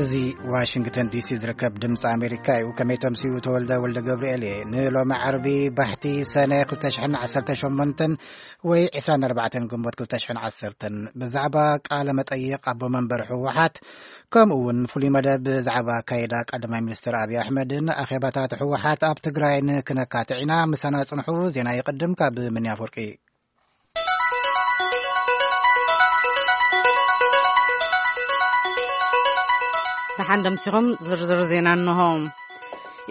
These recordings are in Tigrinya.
እዚ ዋሽንግተን ዲሲ ዝርከብ ድምፂ ኣሜሪካ እዩ። ከመይ ተምስዩ? ተወልደ ወልደ ገብርኤል እየ። ንሎሚ ዓርቢ ባሕቲ ሰነ ክልተ ሽሕን ዓሰርተ ሸሞንተን ወይ ዕስራን ኣርባዕተን ግንቦት ክልተ ሽሕን ዓሰርተን ብዛዕባ ቃለ መጠይቕ ኣቦ መንበር ህወሓት፣ ከምኡ እውን ፍሉይ መደብ ብዛዕባ ኣካይዳ ቀዳማይ ሚኒስትር ኣብዪ ኣሕመድን ኣኼባታት ህወሓት ኣብ ትግራይን ክነካትዕ ኢና። ምሳና ጽንሑ። ዜና ይቕድም ካብ ምንያ ኣፈወርቂ። ደሓን ደምሲኹም። ዝርዝር ዜና እንሆ።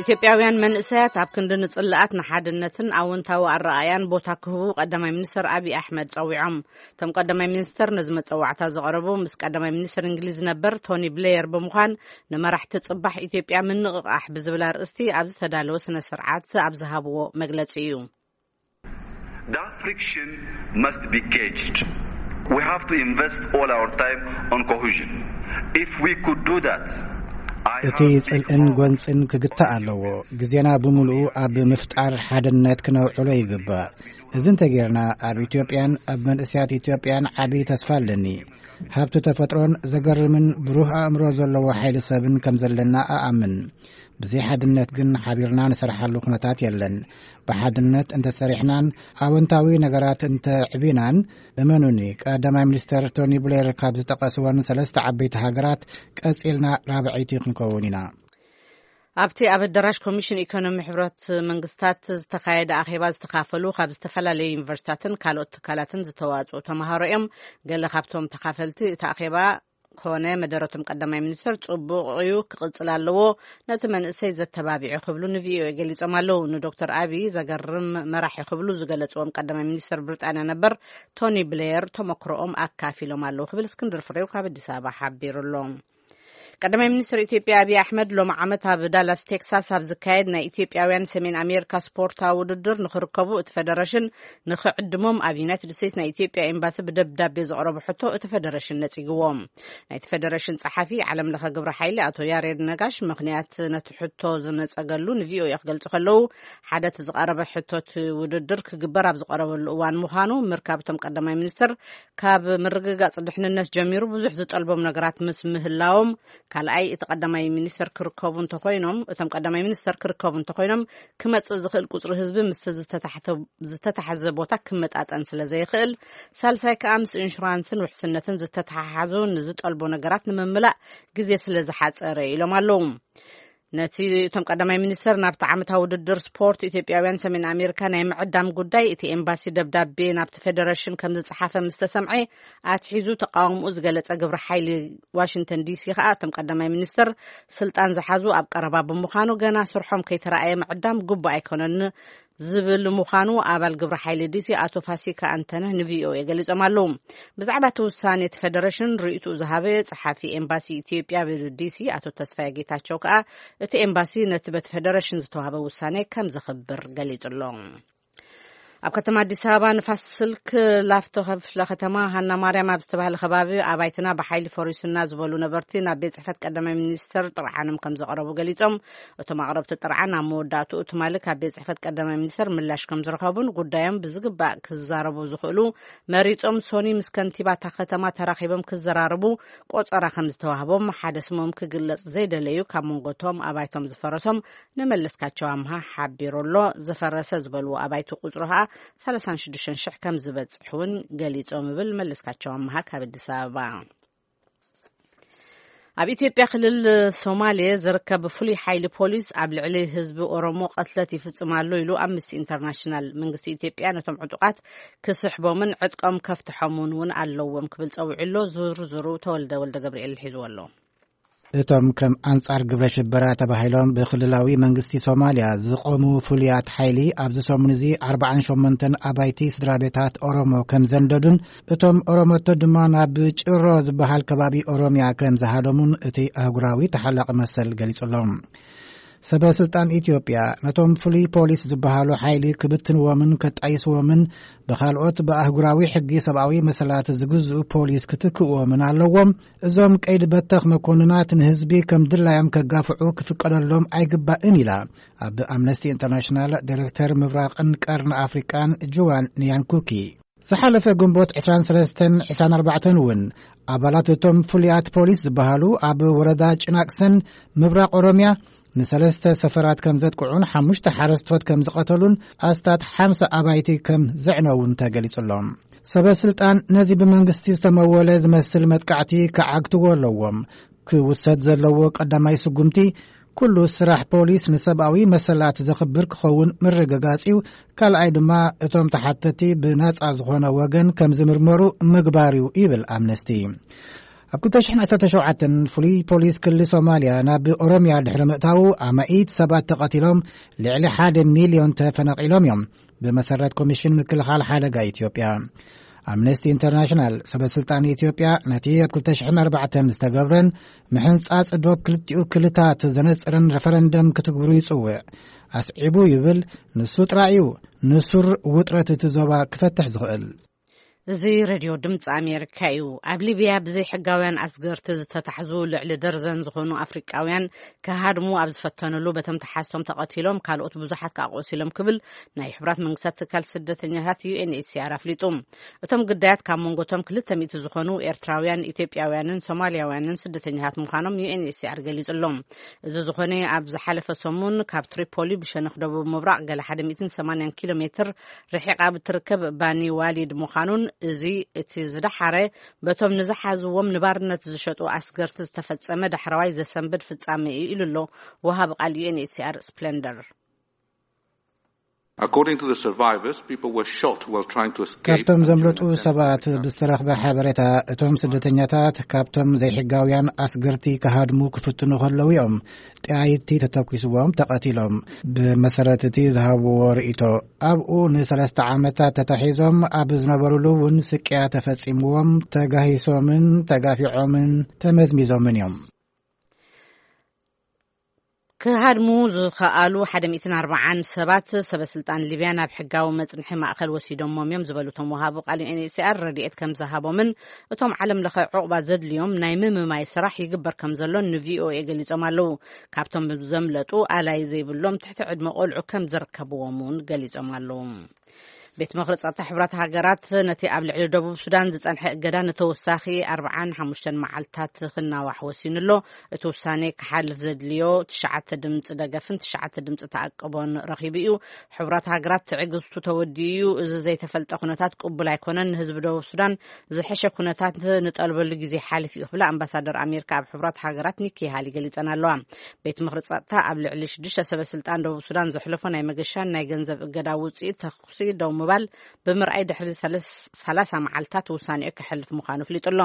ኢትዮጵያውያን መንእሰያት ኣብ ክንዲ ንጽላኣት ንሓድነትን ኣወንታዊ ኣረኣያን ቦታ ክህቡ ቀዳማይ ሚኒስትር ኣብይ ኣሕመድ ጸዊዖም። እቶም ቀዳማይ ሚኒስትር ነዚ መጸዋዕታ ዘቕረቡ ምስ ቀዳማይ ሚኒስትር እንግሊዝ ነበር ቶኒ ብሌየር ብምዃን ንመራሕቲ ጽባሕ ኢትዮጵያ ምንቕቓሕ ብዝብል ኣርእስቲ ኣብ ዝተዳለወ ስነ ስርዓት ኣብ ዝሃብዎ መግለጺ እዩ። That friction must be caged. We have to invest all our time on cohesion. If we could do that, I እቲ have big ጽልእን hopes. ጎንጽን ክግታእ ኣለዎ። ግዜና ብምሉኡ ኣብ ምፍጣር ሓድነት ክነውዕሎ ይግባእ። እዚ እንተጌርና ኣብ ኢትዮጵያን ኣብ መንእሰያት ኢትዮጵያን ዓቢ ተስፋ ኣለኒ። ሃብቲ ተፈጥሮን ዘገርምን ብሩህ ኣእምሮ ዘለዎ ሓይሊ ሰብን ከም ዘለና እኣምን። ብዘይ ሓድነት ግን ሓቢርና ንሰርሓሉ ኩነታት የለን። ብሓድነት እንተሰሪሕናን ኣወንታዊ ነገራት እንተዕቢናን፣ እመኑኒ፣ ቀዳማይ ሚኒስተር ቶኒ ብሌር ካብ ዝጠቐስወን ሰለስተ ዓበይቲ ሃገራት ቀጺልና ራብዐይቲ ክንከውን ኢና። ኣብቲ ኣብ ኣዳራሽ ኮሚሽን ኢኮኖሚ ሕብረት መንግስታት ዝተኻየደ ኣኼባ ዝተኻፈሉ ካብ ዝተፈላለዩ ዩኒቨርሲታትን ካልኦት ትካላትን ዝተዋፅኡ ተምሃሮ እዮም። ገለ ካብቶም ተኻፈልቲ እቲ ኣኼባ ኮነ መደረቶም ቀዳማይ ሚኒስትር ጽቡቕ እዩ፣ ክቕጽል ኣለዎ፣ ነቲ መንእሰይ ዘተባቢዑ ክብሉ ንቪኦኤ ገሊጾም ኣለዉ። ንዶክተር ኣቢይ ዘገርም መራሒ ክብሉ ዝገለጽዎም ቀዳማይ ሚኒስትር ብሪጣንያ ነበር ቶኒ ብሌየር ተመክሮኦም ኣካፊሎም ኣለዉ ክብል እስክንድር ፍሬው ካብ ኣዲስ ኣበባ ሓቢሩ ኣሎ። ቀዳማይ ሚኒስትር ኢትዮጵያ ኣቢይ ኣሕመድ ሎሚ ዓመት ኣብ ዳላስ ቴክሳስ ኣብ ዝካየድ ናይ ኢትዮጵያውያን ሰሜን ኣሜሪካ ስፖርታዊ ውድድር ንክርከቡ እቲ ፌደሬሽን ንክዕድሞም ኣብ ዩናይትድ ስቴትስ ናይ ኢትዮጵያ ኤምባሲ ብደብዳቤ ዘቕረቡ ሕቶ እቲ ፌደሬሽን ነጺግዎም። ናይቲ ፌደሬሽን ጸሓፊ ዓለም ለኸ ግብረ ሓይሊ ኣቶ ያሬድ ነጋሽ ምኽንያት ነቲ ሕቶ ዝነጸገሉ ንቪኦኤ ክገልጹ ከለዉ፣ ሓደ እቲ ዝቐረበ ሕቶ እቲ ውድድር ክግበር ኣብ ዝቐረበሉ እዋን ምዃኑ፣ ምርካብ እቶም ቀዳማይ ሚኒስትር ካብ ምርግጋጽ ድሕንነት ጀሚሩ ብዙሕ ዝጠልቦም ነገራት ምስ ምህላዎም፣ ካልኣይ እቲ ቀዳማይ ሚኒስተር ክርከቡ እንተኾይኖም፣ እቶም ቀዳማይ ሚኒስተር ክርከቡ እንተኾይኖም ክመጽእ ዝኽእል ቁጽሪ ህዝቢ ምስ ዝተታሕተ-፣ ዝተታሕዘ ቦታ ክመጣጠን ስለ ዘይኽእል፣ ሳልሳይ ከኣ ምስ ኢንሹራንስን ውሕስነትን ዝተተሓሓዙ ንዝጠልቦ ነገራት ንምምላእ ግዜ ስለ ዝሓጸረ ኢሎም ኣለዉ። ነቲ እቶም ቀዳማይ ሚኒስተር ናብቲ ዓመታዊ ውድድር ስፖርት ኢትዮጵያውያን ሰሜን ኣሜሪካ ናይ ምዕዳም ጉዳይ እቲ ኤምባሲ ደብዳቤ ናብቲ ፌደሬሽን ከም ዝጸሓፈ ምስ ተሰምዐ ኣትሒዙ ተቃውምኡ ዝገለጸ ግብረ ሓይሊ ዋሽንግተን ዲሲ ከኣ እቶም ቀዳማይ ሚኒስተር ስልጣን ዝሓዙ ኣብ ቀረባ ብምዃኑ ገና ስርሖም ከይተራእየ ምዕዳም ግቡእ ኣይኮነን ዝብል ምዃኑ ኣባል ግብረ ሓይሊ ዲሲ ኣቶ ፋሲካ ኣንተነህ ንቪኦኤ ገሊጾም ኣለዉ። ብዛዕባ እቲ ውሳኔ እቲ ፌደሬሽን ርእይትኡ ዝሃበ ጸሓፊ ኤምባሲ ኢትዮጵያ ኣብ ዲሲ ኣቶ ተስፋዬ ጌታቸው ከኣ እቲ ኤምባሲ ነቲ በቲ ፌደሬሽን ዝተዋህበ ውሳኔ ከም ዘኽብር ገሊጹ ኣሎ። ኣብ ከተማ ኣዲስ ኣበባ ንፋስ ስልክ ላፍቶ ክፍለ ከተማ ሃና ማርያም ኣብ ዝተባህለ ከባቢ ኣባይትና ብሓይሊ ፈሪሱና ዝበሉ ነበርቲ ናብ ቤት ጽሕፈት ቀዳማይ ሚኒስተር ጥርዓኖም ከም ዘቕረቡ ገሊጾም። እቶም ኣቕረብቲ ጥርዓን ኣብ መወዳእትኡ ትማሊ ካብ ቤት ጽሕፈት ቀዳማይ ሚኒስተር ምላሽ ከም ዝረኸቡን ጉዳዮም ብዝግባእ ክዛረቡ ዝኽእሉ መሪጾም ሶኒ ምስ ከንቲባ እታ ከተማ ተራኺቦም ክዘራረቡ ቆጸራ ከም ዝተዋህቦም ሓደ ስሞም ክግለጽ ዘይደለዩ ካብ መንጎቶም ኣባይቶም ዝፈረሶም ንመለስካቸው ኣምሃ ሓቢሩ ኣሎ። ዝፈረሰ ዝበልዎ ኣባይቲ ቁጽሩ ኸኣ ሰላሳን ሽዱሽተን ሽሕ ከም ዝበጽሕ እውን ገሊጾም ይብል መለስካቸው ኣምሃ ካብ ኣዲስ ኣበባ። ኣብ ኢትዮጵያ ክልል ሶማሌ ዝርከብ ፍሉይ ሓይሊ ፖሊስ ኣብ ልዕሊ ህዝቢ ኦሮሞ ቀትለት ይፍጽም ኣሎ ኢሉ ኣምነስቲ ኢንተርናሽናል። መንግስቲ ኢትዮጵያ ነቶም ዕጡቓት ክስሕቦምን ዕጥቆም ከፍትሖምን እውን ኣለዎም ክብል ጸዊዑ ኣሎ። ዝርዝሩ ተወልደ ወልደ ገብርኤል ሒዝዎ ኣሎ። እቶም ከም ኣንጻር ግብረ ሽበራ ተባሂሎም ብክልላዊ መንግስቲ ሶማልያ ዝቖሙ ፍሉያት ሓይሊ ኣብዚ ሰሙን እዚ ኣርባዓን ሸሞንተን ኣባይቲ ስድራ ቤታት ኦሮሞ ከም ዘንደዱን እቶም ኦሮሞቶ ድማ ናብ ጭሮ ዝበሃል ከባቢ ኦሮምያ ከም ዝሃደሙን እቲ ኣህጉራዊ ተሓላቒ መሰል ገሊጹ ኣሎ። ሰበ ስልጣን ኢትዮጵያ ነቶም ፍሉይ ፖሊስ ዝበሃሉ ሓይሊ ክብትንዎምን ከጣይስዎምን ብኻልኦት ብኣህጉራዊ ሕጊ ሰብኣዊ መሰላት ዝግዝኡ ፖሊስ ክትክእዎምን ኣለዎም። እዞም ቀይዲ በተኽ መኮንናት ንህዝቢ ከም ድላዮም ከጋፍዑ ክፍቀደሎም ኣይግባእን ኢላ ኣብ ኣምነስቲ ኢንተርናሽናል ዳይሬክተር ምብራቕን ቀርኒ ኣፍሪቃን ጁዋን ኒያንኩኪ። ዝሓለፈ ግንቦት ዕስራን ሰለስተን ዕስራን ኣርባዕተን እውን ኣባላት እቶም ፍሉያት ፖሊስ ዝበሃሉ ኣብ ወረዳ ጭናቅሰን ምብራቕ ኦሮምያ ንሰለስተ ሰፈራት ከም ዘጥቅዑን ሓሙሽተ ሓረስቶት ከም ዝቐተሉን ኣስታት ሓምሳ ኣባይቲ ከም ዘዕነውን ተገሊጹ ኣሎ። ሰበ ስልጣን ነዚ ብመንግስቲ ዝተመወለ ዝመስል መጥቃዕቲ ክዓግትዎ ኣለዎም። ክውሰድ ዘለዎ ቀዳማይ ስጉምቲ ኩሉ ስራሕ ፖሊስ ንሰብኣዊ መሰላት ዘኽብር ክኸውን ምርግጋጽ እዩ። ካልኣይ ድማ እቶም ተሓተቲ ብናጻ ዝኾነ ወገን ከም ዝምርመሩ ምግባር እዩ ይብል ኣምነስቲ። ኣብ ክልተ ሽሕን ዓሰርተ ሸውዓተን ፍሉይ ፖሊስ ክልል ሶማልያ ናብ ኦሮምያ ድሕሪ ምእታዉ ኣማኢት ሰባት ተቐቲሎም፣ ልዕሊ ሓደ ሚልዮን ተፈናቒሎም እዮም። ብመሰረት ኮሚሽን ምክልኻል ሓደጋ ኢትዮጵያ፣ ኣምነስቲ ኢንተርናሽናል፣ ሰበ ስልጣን ኢትዮጵያ ነቲ ኣብ ክልተ ሽሕን ኣርባዕተን ዝተገብረን ምሕንጻጽ ዶብ ክልቲኡ ክልታት ዘነጽርን ረፈረንደም ክትግብሩ ይጽውዕ። ኣስዒቡ ይብል፣ ንሱ ጥራይ እዩ ንሱር ውጥረት እቲ ዞባ ክፈትሕ ዝኽእል። እዚ ሬድዮ ድምፂ ኣሜሪካ እዩ። ኣብ ሊብያ ብዘይ ሕጋውያን ኣስገርቲ ዝተታሕዙ ልዕሊ ደርዘን ዝኾኑ ኣፍሪቃውያን ክሃድሙ ኣብ ዝፈተኑሉ በቶም ተሓዝቶም ተቐቲሎም፣ ካልኦት ብዙሓት ከዓ ቆሲሎም ክብል ናይ ሕቡራት መንግስታት ትካል ስደተኛታት ዩ ኤን ኤች ሲ ኣር ኣፍሊጡ። እቶም ግዳያት ካብ መንጎቶም ክልተ ሚእቲ ዝኾኑ ኤርትራውያን፣ ኢትዮጵያውያንን ሶማልያውያንን ስደተኛታት ምዃኖም ዩ ኤን ኤች ሲ ኣር ገሊጹ ኣሎ። እዚ ዝኾነ ኣብ ዝሓለፈ ሰሙን ካብ ትሪፖሊ ብሸነኽ ደቡብ ምብራቕ ገለ ሓደ ሚእትን ሰማንያን ኪሎ ሜትር ርሒቓ ብትርከብ ባኒ ዋሊድ ምዃኑን፣ እዚ እቲ ዝደሓረ በቶም ንዝሓዝዎም ንባርነት ዝሸጡ ኣስገርቲ ዝተፈጸመ ዳሕረዋይ ዘሰንብድ ፍጻመ እዩ ኢሉ ኣሎ ወሃቢ ቃል ዩ ኤን ኤች ሲ ኣር ስፕለንደር። According to the survivors, people were shot while trying to escape ካብቶም and ዘምለጡ during ሰባት ብዝተረኽበ ሓበሬታ፣ እቶም ስደተኛታት ካብቶም ዘይሕጋውያን ኣስገርቲ ክሃድሙ ክፍትኑ ከለዉ እዮም ጠያይቲ ተተኲስዎም ተቐቲሎም። ብመሰረት እቲ ዝሃብዎ ርእይቶ፣ ኣብኡ ንሰለስተ ዓመታት ተታሒዞም ኣብ ዝነበሩሉ እውን ስቅያ ተፈጺምዎም፣ ተጋሂሶምን ተጋፊዖምን ተመዝሚዞምን እዮም። ክሃድሙ ዝኸኣሉ ሓደ ሚእትን ኣርባዓን ሰባት ሰበ ስልጣን ሊብያ ናብ ሕጋዊ መጽንሒ ማእከል ወሲዶሞም እዮም ዝበሉ እቶም ወሃቢ ቃል ዩ ኤን ኤች ሲ ኣር፣ ረድኤት ከም ዝሃቦምን እቶም ዓለም ለኸ ዕቑባ ዘድልዮም ናይ ምምማይ ስራሕ ይግበር ከም ዘሎን ን ቪ ኦ ኤ ገሊጾም ኣለዉ። ካብቶም ዘምለጡ ኣላይ ዘይብሎም ትሕቲ ዕድመ ቆልዑ ከም ዝርከብዎም እውን ገሊጾም ኣለዉ። ቤት ምኽሪ ጸጥታ ሕቡራት ሃገራት ነቲ ኣብ ልዕሊ ደቡብ ሱዳን ዝጸንሐ እገዳ ንተወሳኺ ኣርብዓን ሓሙሽተን መዓልታት ክናዋሕ ወሲኑ ኣሎ። እቲ ውሳኔ ክሓልፍ ዘድልዮ ትሽዓተ ድምጺ ደገፍን ትሽዓተ ድምጺ ተኣቅቦን ረኺቡ እዩ። ሕቡራት ሃገራት ትዕግስቱ ተወዲኡ እዩ። እዚ ዘይተፈልጠ ኩነታት ቅቡል ኣይኮነን። ንህዝቢ ደቡብ ሱዳን ዝሐሸ ኩነታት ንጠልበሉ ግዜ ሓሊፉ እዩ ክብላ ኣምባሳደር ኣሜሪካ ኣብ ሕቡራት ሃገራት ኒኪ ሃሊ ገሊጸን ኣለዋ። ቤት ምኽሪ ጸጥታ ኣብ ልዕሊ ሽዱሽተ ሰበ ስልጣን ደቡብ ሱዳን ዘሕለፎ ናይ መገሻን ናይ ገንዘብ እገዳ ውጽኢት ተኹሲ ደው ምባል ብምርኣይ ድሕሪ ሰለስ-፣ ሰላሳ መዓልታት ውሳኔኡ ከሕልፍ ምዃኑ ኣፍሊጡ ኣሎ።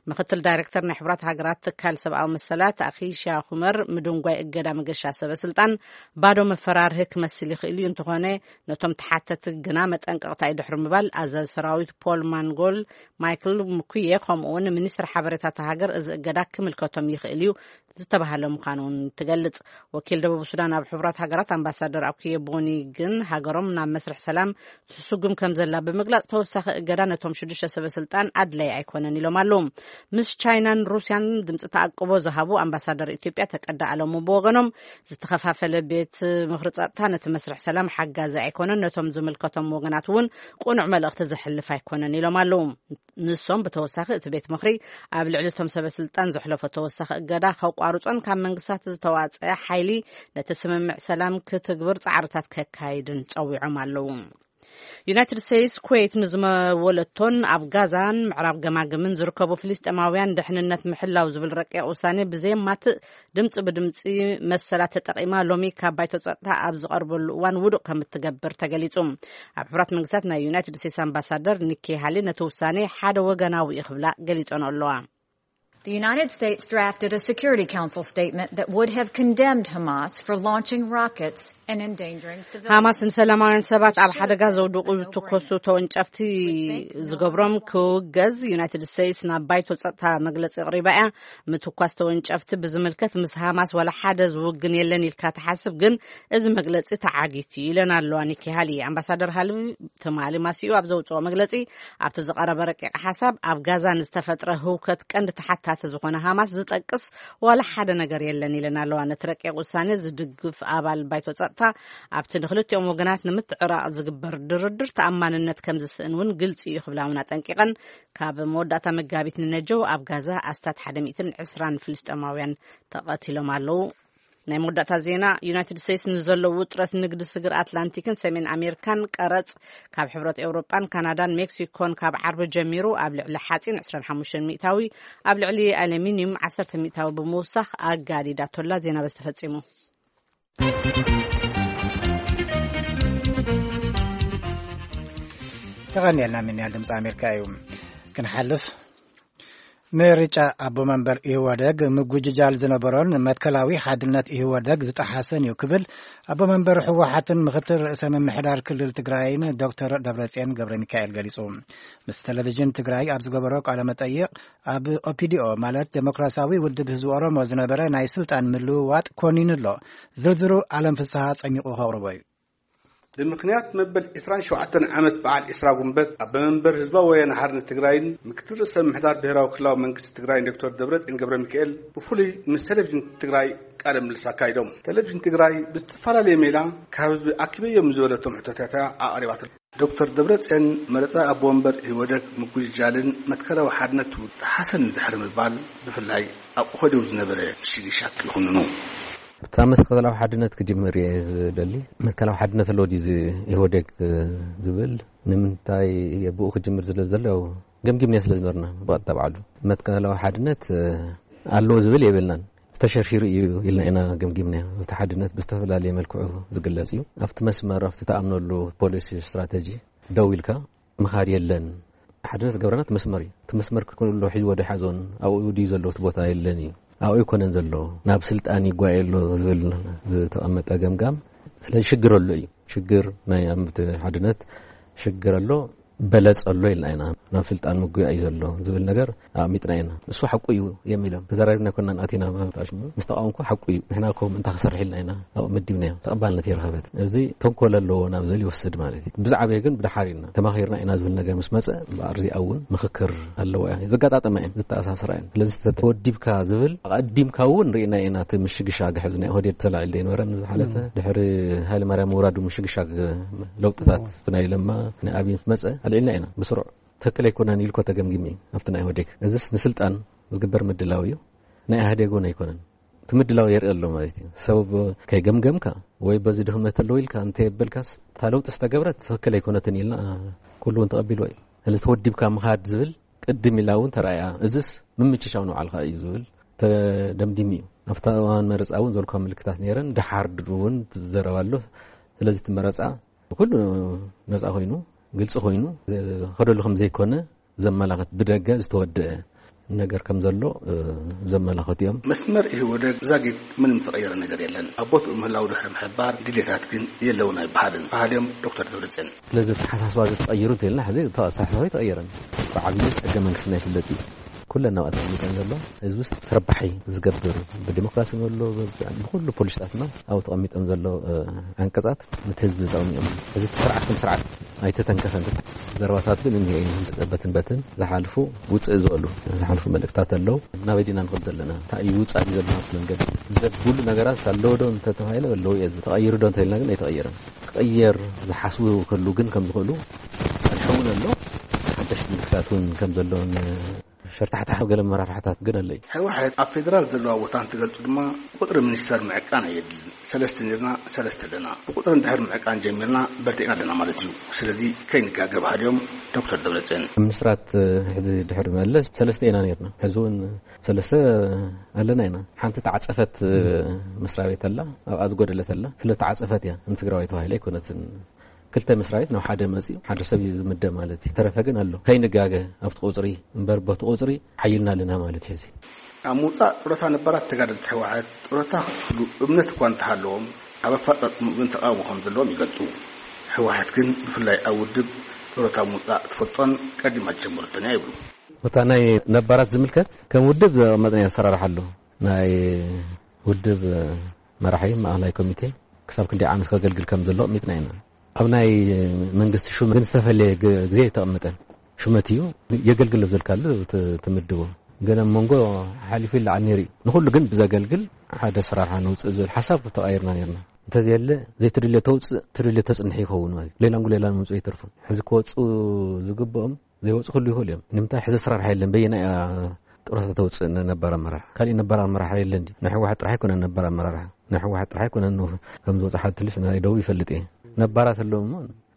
ምኽትል ዳይሬክተር ናይ ሕቡራት ሃገራት ትካል ሰብኣዊ መሰላት ኣኺሻ ኩመር ምድንጓይ እገዳ መገሻ ሰበ ስልጣን ባዶ መፈራርሂ ክመስል ይኽእል እዩ፣ እንተኾነ ነቶም ተሓተቲ ግና መጠንቀቕታ እዩ ድሕሪ ምባል ኣዛዚ ሰራዊት ፖል ማንጎል ማይክል ምኩየ ከምኡ እውን ሚኒስትር ሓበሬታ እታ ሃገር እዚ እገዳ ክምልከቶም ይኽእል እዩ ዝተባህለ ምዃኑ እውን ትገልጽ። ወኪል ደቡብ ሱዳን ኣብ ሕቡራት ሃገራት ኣምባሳደር ኣኩየ ቦኒ ግን ሃገሮም ናብ መስርሕ ሰላም ትስጉም ከም ዘላ ብምግላጽ፣ ተወሳኺ እገዳ ነቶም ሽዱሽተ ሰበ ስልጣን ኣድላይ ኣይኮነን ኢሎም ኣለዉ። ምስ ቻይናን ሩስያን ድምጺ ተኣቅቦ ዝሃቡ ኣምባሳደር ኢትዮጵያ ተቀዳ ኣለሙ ብወገኖም፣ ዝተኸፋፈለ ቤት ምኽሪ ጸጥታ ነቲ መስርሕ ሰላም ሓጋዚ ኣይኮነን፣ ነቶም ዝምልከቶም ወገናት እውን ቅኑዕ መልእኽቲ ዘሕልፍ ኣይኮነን ኢሎም ኣለዉ። ንሶም ብተወሳኺ እቲ ቤት ምኽሪ ኣብ ልዕሊ እቶም ሰበ ስልጣን ዘሕለፎ ተወሳኺ እገዳ ከቋርጾን ካብ መንግስታት ዝተዋጸአ ሓይሊ ነቲ ስምምዕ ሰላም ክትግብር ጻዕርታት ከካይድን ጸዊዖም ኣለዉ። ዩናይትድ ስቴትስ ኩዌት ንዝመወለቶን ኣብ ጋዛን ምዕራብ ገማግምን ዝርከቡ ፍልስጤማውያን ድሕንነት ምሕላው ዝብል ረቂቕ ውሳኔ ብዘየማትእ ድምፂ ብድምፂ መሰላት ተጠቒማ ሎሚ ካብ ባይቶ ጸጥታ ኣብ ዝቐርበሉ እዋን ውዱቕ ከም እትገብር ተገሊጹ። ኣብ ሕብራት መንግስታት ናይ ዩናይትድ ስቴትስ ኣምባሳደር ኒኪ ሃሊ ነቲ ውሳኔ ሓደ ወገናዊ እዩ ክብላ ገሊጸን ኣለዋ። The United States drafted a Security Council statement that would have condemned Hamas for launching rockets and endangering civilians. ሃማስ ንሰላማውያን ሰባት ኣብ ሓደጋ ዘውድቑ ዝትኮሱ ተወንጨፍቲ ዝገብሮም ክውገዝ ዩናይትድ ስቴትስ ናብ ባይቶ ጸጥታ መግለጺ ኣቕሪባ እያ። ምትኳስ ተወንጨፍቲ ብዝምልከት ምስ ሃማስ ዋላ ሓደ ዝውግን የለን ኢልካ ትሓስብ፣ ግን እዚ መግለጺ ተዓጊቱ ኢለን ኣለዋ ኒኪ ሃሊ። ኣምባሳደር ሃሊ ትማሊ ማሲኡ ኣብ ዘውፅኦ መግለፂ፣ ኣብቲ ዝቐረበ ረቂቕ ሓሳብ ኣብ ጋዛ ንዝተፈጥረ ህውከት ቀንዲ ተሓታቲ ዝኾነ ሃማስ ዝጠቅስ ዋላ ሓደ ነገር የለን ኢለን ኣለዋ። ነቲ ረቂቕ ውሳኔ ዝድግፍ ኣባል ባይቶ ጸጥታ ጸጥታ ኣብቲ ንክልቲኦም ወገናት ንምትዕራቕ ዝግበር ድርድር ተኣማንነት ከም ዝስእን እውን ግልጺ እዩ ክብላ እውን ኣጠንቂቐን። ካብ መወዳእታ መጋቢት ንነጀው ኣብ ጋዛ ኣስታት ሓደ ሚእትን ዕስራን ፍልስጤማውያን ተቐቲሎም ኣለዉ። ናይ መወዳእታ ዜና። ዩናይትድ ስቴትስ ንዘለዉ ውጥረት ንግዲ ስግር ኣትላንቲክን ሰሜን ኣሜሪካን ቀረጽ ካብ ሕብረት ኤውሮጳን ካናዳን ሜክሲኮን ካብ ዓርቢ ጀሚሩ ኣብ ልዕሊ ሓጺን ዕስራን ሓሙሽተን ሚእታዊ፣ ኣብ ልዕሊ ኣሉሚንዩም ዓሰርተ ሚእታዊ ብምውሳኽ ኣጋዲዳቶላ። ዜና በዚ ተፈጺሙ። ተቐኒልና ምንያል ድምፂ ኣሜሪካ እዩ። ክንሓልፍ ምርጫ ኣቦ መንበር ኢህወደግ ምጉጅጃል ዝነበሮን መትከላዊ ሓድነት ኢህወደግ ዝጠሓሰን እዩ ክብል ኣቦ መንበር ህወሓትን ምክትል ርእሰ ምምሕዳር ክልል ትግራይን ዶክተር ደብረጽዮን ገብረ ሚካኤል ገሊጹ። ምስ ቴሌቪዥን ትግራይ ኣብ ዝገበሮ ቃለ መጠይቕ ኣብ ኦፒዲኦ ማለት ዴሞክራሲያዊ ውድብ ህዝቢ ኦሮሞ ዝነበረ ናይ ስልጣን ምልውዋጥ ኮኒኑ ኣሎ። ዝርዝሩ ኣለም ፍስሃ ጸሚቑ ከቕርቦ እዩ። ብምኽንያት መበል ዕስራን ሸውዓተን ዓመት በዓል ዕስራ ጉንበት ኣቦ መንበር ህዝባዊ ወያነ ሓርነት ትግራይን ምክትል ርእሰ ምምሕዳር ብሄራዊ ክልላዊ መንግስቲ ትግራይን ዶክተር ደብረጽዮን ገብረ ሚካኤል ብፍሉይ ምስ ቴሌቪዥን ትግራይ ቃለ ምልልስ ኣካይዶም። ቴሌቪዥን ትግራይ ብዝተፈላለየ ሜላ ካብ ህዝቢ ኣኪበዮም ዝበለቶም ሕቶታት ኣቕሪባትሎም። ዶክተር ደብረጽዮን መረጻ ኣቦ ወንበር ኢህወደግ ምጉጅጃልን መትከላዊ ሓድነቱ ተሓሰን ድሕሪ ምባል ብፍላይ ኣብ ኦህዴድ ዝነበረ ምሽግሻግ ይኹንኑ። እታ መትከላዊ ሓድነት ክጅምር እየ ዝደሊ። መትከላዊ ሓድነት ኣለዎ ድዩ እዚ ኢህወዴግ ዝብል ንምንታይ ብኡ ክጅምር ዝለ ዘሎ ገምጊምና ስለ ዝነበርና ብቐጥታ ባዕሉ መትከላዊ ሓድነት ኣለዎ ዝብል የብልናን። ዝተሸርሺሩ እዩ ኢልና ኢና ገምጊምና። እቲ ሓድነት ብዝተፈላለየ መልክዑ ዝግለጽ እዩ። ኣብቲ መስመር ኣብቲ ተኣምነሉ ፖሊሲ ስትራተጂ ደው ኢልካ ምኻድ የለን። ሓድነት ዝገብረና እቲ መስመር እዩ። እቲ መስመር ክልኩሉ ሒዝዎ ዶ ሓዞን ኣብኡ ድዩ ዘሎ እቲ ቦታ የለን እዩ። ኣብኡ ኣይኮነን ዘሎ ናብ ስልጣን ይጓየ ኣሎ ዝብል ዝተቐመጠ ገምጋም። ስለዚ ሽግር ኣሎ እዩ። ሽግር ናይ ኣብቲ ሓድነት ሽግር ኣሎ። በለጽ ኣሎ ኢልና ኢና። ናብ ስልጣን ምጉያ እዩ ዘሎ ዝብል ነገር ኣቕሚጥና ኢና። እሱ ሓቁ እዩ የሚሎም ተዘራሪብና ኮና ኣቲና ምጣሽሙ ምስ ተቃወምኩ ሓቁ እዩ። ንሕና ኮም እንታይ ክሰርሕ ኢልና ኢና ኣብኡ መዲብናዮ። ተቐባልነት የረኸበት። እዚ ተንኮል ኣለዎ ናብ ዝብል ይወስድ ማለት እዩ። ብዛዕባ ግን ብድሓር ኢልና ተማኺርና ኢና ዝብል ነገር ምስ መጸ እምበኣር እዚኣ እውን ምኽክር ኣለዎ እያ። ዘጋጣጠመ እየን ዝተኣሳስራ እየን። ስለዚ ተወዲብካ ዝብል ኣቐዲምካ እውን ርኢና ኢና። እቲ ምሽግሻግ ሕዚ ናይ ኦህዴድ ተላዒሉ ዘይነበረ ንዝሓለፈ ድሕሪ ሃይለ ማርያም ምውራዱ ምሽግሻግ ለውጥታት ናይ ለማ ናይ ኣብይ ምስ መጸ ኣልዒልና ኢና ብስሩዕ። ትክክል ኣይኮነን ኢልኮ ተገምጊሚ ኣብቲ ናይ ኢህወዴግ። እዚስ ንስልጣን ዝግበር ምድላው እዩ፣ ናይ ኢህወዴግ እውን ኣይኮነን። እቲ ምድላው የርኢ ኣሎ ማለት እዩ። ሰብ ከይገምገምካ ወይ በዚ ድኽመት ኣለዎ ኢልካ እንተየበልካስ እታ ለውጢ ዝተገብረት ትክክል ኣይኮነትን ኢልና ኩሉ እውን ተቐቢልዎ እዩ። ስለዚ ተወዲብካ ምኻድ ዝብል ቅድም ኢላ እውን ተራእያ። እዚስ ምምችሻው ንባዕልካ እዩ ዝብል ተደምዲሙ እዩ። ኣብታ እዋን መረፃ እውን ዘልኳ ምልክታት ነይረን። ድሓር እውን ትዘረብ ኣሎ። ስለዚ እቲ መረፃ ኩሉ ነፃ ኮይኑ ግልፂ ኮይኑ ከደሉ ከም ዘይኮነ ዘመላኽት ብደገ ዝተወደአ ነገር ከም ዘሎ ዘመላኽት እዮም። መስመር ኢህወደግ ዛጊድ ምንም ዝተቐየረ ነገር የለን። ኣብ ቦትኡ ምህላው ድሕሪ ምሕባር ድሌታት ግን የለውን ኣይበሃልን በሃልዮም ዶክተር ደብረፅዮን። ስለዚ ተሓሳስባ ዝተቐይሩ እንተልና ሕዚ ተሓሳስባ ተቐየረን ብዓብዩ ሕገ መንግስትና ይፍለጥ እዩ። ኩለን ናብኣ ተቐሚጠን ዘሎ ህዝቢ ውስጥ ተረባሒ ዝገብር ብዲሞክራሲ ዘሎ ብኩሉ ፖሊሲታትና ኣብኡ ተቐሚጦም ዘሎ ኣንቀፃት ነቲ ህዝቢ ዝጠቕሙ እዮም። እዚ ስርዓት ከም ስርዓት ኣይተተንከፈን። ዘረባታት ግን እኒሀ እዩ። በትን በትን ዝሓልፉ ውፅእ ዝበሉ ዝሓልፉ መልእክታት ኣለዉ። ናበይ ዲና ንኸድ ዘለና እንታይ እዩ ውፃእ እዩ ዘለና መንገዲ ዘብሉ ነገራት ኣለዎ ዶ እንተተባሂለ ኣለዉ እየ። ተቐይሩ ዶ እንተልና ግን ኣይተቐየረን። ክቐየር ዝሓስቡ ከሉ ግን ከም ዝኽእሉ ፀንሐ እውን ኣሎ። ሓደሽቲ ምልክታት እውን ከም ዘለውን ሸርታሕታሕ ገለ መራርሕታት ግን ኣለይ። ህወሓት ኣብ ፌደራል ዘለዋ ቦታ እንትገልጹ ድማ ቁጥሪ ሚኒስተር ምዕቃን ኣየድልን። ሰለስተ ነርና ሰለስተ ኣለና። ብቁጥሪ እንድሕር ምዕቃን ጀሚርና በርቲዕና ኣለና ማለት እዩ። ስለዚ ከይንጋገ ባህልዮም ዶክተር ደብረጽዮን። ሚኒስትራት ሕዚ ድሕሪ መለስ ሰለስተ ኢና ነርና። ሕዚ እውን ሰለስተ ኣለና ኢና። ሓንቲ ተዓጸፈት መስሪያ ቤት ኣላ ኣብኣ ዝጎደለት ኣላ። ስለተዓጸፈት እያ ንትግራዋይ ተባሂላ ኣይኮነትን። ክልተ መስሪያ ቤት ናብ ሓደ መፅዩ ሓደ ሰብ እዩ ዝምደ ማለት እዩ። ተረፈ ግን ኣሎ ከይንጋገ ኣብቲ ቁፅሪ እምበር በቲ ቁፅሪ ሓይልና ኣለና ማለት እዩ። እዚ ኣብ ምውፃእ ጡረታ ነባራት ተጋደልቲ ህወሓት ጡረታ ክፍሉ እምነት እኳ እንተሃለዎም ኣብ ኣፈፃፅምኡ ግን ተቃውሞ ከም ዘለዎም ይገልፁ። ህወሓት ግን ብፍላይ ኣብ ውድብ ጡረታ ምውፃእ ትፈልጦን ቀዲማ ዝጀመረቶን እያ ይብሉ። እታ ናይ ነባራት ዝምልከት ከም ውድብ ዘቐመጥና ኣሰራርሓ ኣሎ። ናይ ውድብ መራሒ ማእኸላይ ኮሚቴ ክሳብ ክንደይ ዓመት ከገልግል ከም ዘሎ ኣቕሚጥና ኢና። ኣብ ናይ መንግስቲ ሹም ግን ዝተፈለየ ግዜ ኣይተቐመጠን። ሹመት እዩ የገልግል ኣብ ዘልካሉ ትምድቦ። ገለ መንጎ ሓሊፉ ይለዓል ነይሩ እዩ። ንኹሉ ግን ብዘገልግል ሓደ ኣሰራርሓ ነውፅእ ዝብል ሓሳብ ተቐይርና ነርና። እንተዘየለ ዘይትደልዮ ተውፅእ፣ ትደልዮ ተፅንሕ ይኸውን ማለት እዩ። ሌላን ጉሌላን ምምፅኡ ይተርፉ። ሕዚ ክወፁ ዝግብኦም ዘይወፁ ክህሉ ይኽእሉ እዮም። ንምንታይ? ሕዚ ኣሰራርሓ የለን። በየናይ እያ ጥሮታ ተውፅእ? ነባር ኣመራርሓ፣ ካሊእ ነባር ኣመራርሓ የለን ድዩ? ናይ ህወሓት ጥራሕ ኣይኮነን ነባር ኣመራርሓ፣ ናይ ህወሓት ጥራሕ ኣይኮነን። ከም ዝወፅእ ሓደ ትልፍ ናይ ደቡብ ይፈልጥ እየ። ነባራት ኣለዉ እሞ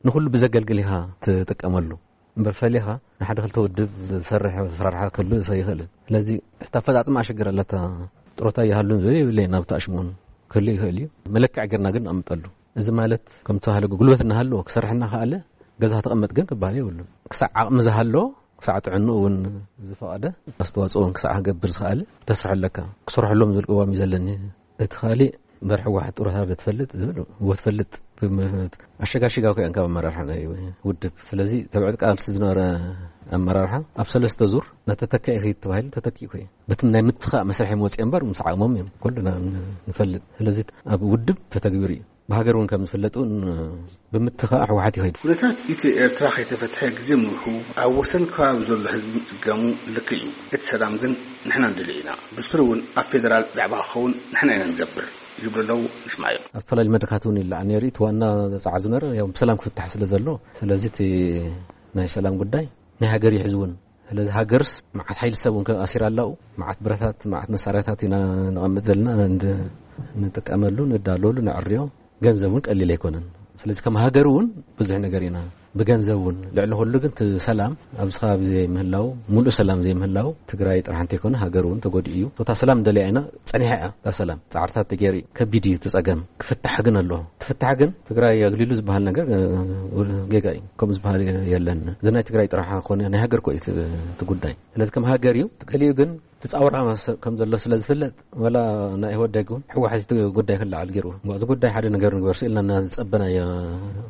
ንኹሉ ብዘገልግል ኢኻ ትጥቀመሉ። እምበር ፈሊኻ ንሓደ ክልተ ውድብ ዝሰርሕ ኣሰራርሓ ክህሉ ይኽእል። ስለዚ እቲ ኣፈፃፅማ ኣሸገር ኣለታ። ጥሮታ ይሃሉን ዝብል የብለይን፣ ናብቲ ኣሽሞን ክህሉ ይኽእል እዩ። መለክዕ ጌርና ግን ንቐምጠሉ። እዚ ማለት ከም ተባህለ ጉልበት እናሃለዎ ክሰርሕ እናኸኣለ ገዛ ተቐመጥ ግን ክበሃል የብሉን። ክሳዕ ዓቕሚ ዝሃለዎ፣ ክሳዕ ጥዕንኡ እውን ዝፈቐደ ኣስተዋፅኦ እውን ክሳዕ ክገብር ዝኸኣለ ተስርሐለካ። ክሰርሐሎም ዝብል ቅዋም እዩ ዘለኒ። እቲ ካሊእ እምበር ህወሓት ጥሮታ በትፈልጥ ዝብል ወትፈልጥ ኣሸጋሽጋ እኮ እዮም ካብ ኣመራርሓ ናይ ውድብ። ስለዚ ተብዕት ቃልሲ ዝነበረ ኣመራርሓ ኣብ ሰለስተ ዙር ናተተካኢ ኺድ ተባሂሉ ተተኪኡ እኮ እዩ። በቲ ናይ ምትኻእ መስርሕ እዮም ወፂኦም እምበር ምስ ዓቕሞም እዮም ኩልና ንፈልጥ። ስለዚ ኣብ ውድብ ተተግቢሩ እዩ። ብሃገር እውን ከም ዝፍለጥ እውን ብምትኻእ ህወሓት ይኸይድ። ኩነታት ኢትዮ ኤርትራ ከይተፈትሐ ግዜ ምንውሑ ኣብ ወሰን ከባቢ ዘሎ ህዝቢ ምጽገሙ ልክዕ እዩ። እቲ ሰላም ግን ንሕና ንደልዮ ኢና። ብስሩ እውን ኣብ ፌደራል ዛዕባ ክኸውን ንሕና ኢና ንገብር ይብሉ ኣለዉ። ንስማዮም። ኣብ ዝተፈላለዩ መድረካት እውን ይለዓል ነይሩ። እቲ ዋና ጻዕር ዝነበረ ያው ብሰላም ክፍታሕ ስለ ዘሎ፣ ስለዚ እቲ ናይ ሰላም ጉዳይ ናይ ሃገር ይሕዝ እውን። ስለዚ ሃገርስ መዓት ሓይሊ ሰብ እውን ኣሲራ ኣላኡ፣ መዓት ብረታት፣ መዓት መሳርያታት ኢና ንቐምጥ ዘለና፣ ንጥቀመሉ፣ ንዳለወሉ፣ ንዕርዮ። ገንዘብ እውን ቀሊል ኣይኮነን። ስለዚ ከም ሃገር እውን ብዙሕ ነገር ኢና ብገንዘብ እውን፣ ልዕሊ ኩሉ ግን እቲ ሰላም ኣብዚ ከባቢ ዘይምህላው፣ ሙሉእ ሰላም ዘይምህላው ትግራይ ጥራሕ እንተይኮነ ሃገር እውን ተጎዲኡ እዩ። እታ ሰላም እንደልያ ኢና፣ ጸኒሓ እያ እታ ሰላም። ጻዕርታት ተገይሩ እዩ። ከቢድ እዩ እቲ ጸገም። ክፍታሕ ግን ኣለዎ። ክፍታሕ ግን ትግራይ ኣግሊሉ ዝበሃል ነገር ጌጋ እዩ። ከምኡ ዝበሃል የለን። እዚ ናይ ትግራይ ጥራሕ ኮነ ናይ ሃገር ኮ እዩ እቲ ጉዳይ። ስለዚ ከም ሃገር እዩ። ገሊኡ ግን ትጻውራ ከም ዘሎ ስለ ዝፍለጥ፣ ወላ ናይ ኢህወደግ እውን ህወሓት እቲ ጉዳይ ክለዓል ገይሩ። እቲ ጉዳይ ሓደ ነገር ንግበር ስኢልና እናዝጸበናዮ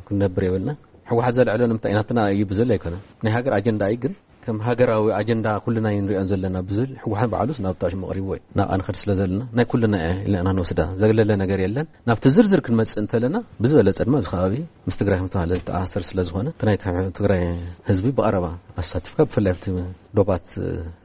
ክንነብር የብልና። ህወሓት ዘልዕሎ ንምንታይ ናትና እዩ ብዝብል ኣይኮነን። ናይ ሃገር ኣጀንዳ እዩ። ግን ከም ሃገራዊ ኣጀንዳ ኩልና እዩ ንሪኦን ዘለና ብዝብል ህወሓት ባዕሉስ ናብ ጣሽሙ ቀሪብዎ እዩ። ናብኣ ንኸድ ስለ ዘለና ናይ ኩልና እያ ኢልና ኢና ንወስዳ። ዘግለለ ነገር የለን። ናብቲ ዝርዝር ክንመጽእ እንተለና ብዝበለጸ ድማ እዚ ከባቢ ምስ ትግራይ ከም ዝተባህለ ዝተኣሳሰር ስለ ዝኾነ፣ እቲ ናይ ትግራይ ህዝቢ ብቐረባ ኣሳቲፍካ፣ ብፍላይ ኣብቲ ዶባት